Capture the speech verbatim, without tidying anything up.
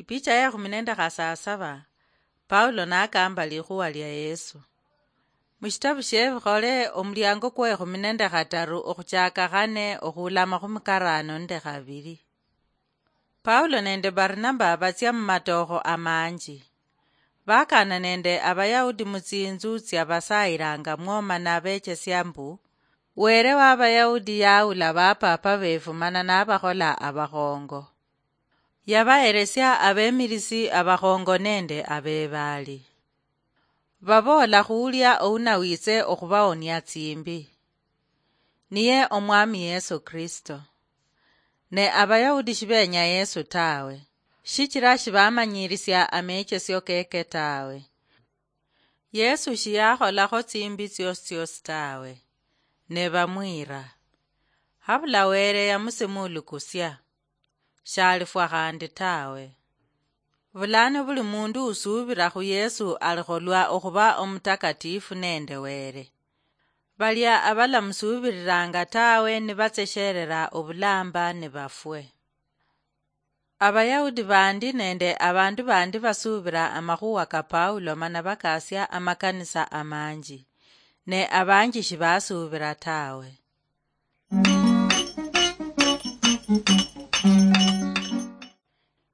Picha ya ekhumi nende khasasaba. Paulo nakamba likhuwa lia Yesu. Mushitabu shie Ebikhole, omuliango kwa ekhumi nende khataru okhuchaka khane okhulama khumukarano nende khabili. Paulo nende Barnaba batsia mumatokho amanji. Bakana nende Abayahudi mutsinzu tsia basayilanga mwoma nabechesia mbu, Were wa Abayahudi yaula bapapa befu mana nabakhola abakhongo. Yabaheresia abemilisi abakhongo nende abebaali. Baboola khuulia ounawitse okhubaonia tsimbi, niye Omwami Yesu Kristo. Ne Abayahudi shibenya Yesu tawe, shichira shibamanyirisia amechesio keke tawe. Yesu shiyakholakho tsimbi tsiosi tsiosi tawe, ne bamwira. Habula Were yamusimulukusia, shalifwa khandi tawe. Bulano buli mundu usuubira khu Yesu alikholwa okhuba omutakatifu nende Were. Balia abalamusuubiriranga tawe nibatsesherera obulamba nibafwe. Abayahudi bandi nende abandu bandi basuubira amakhuwa ka Paulo mana bakasia amakanisa amanji, ne abanji shibasuubira tawe.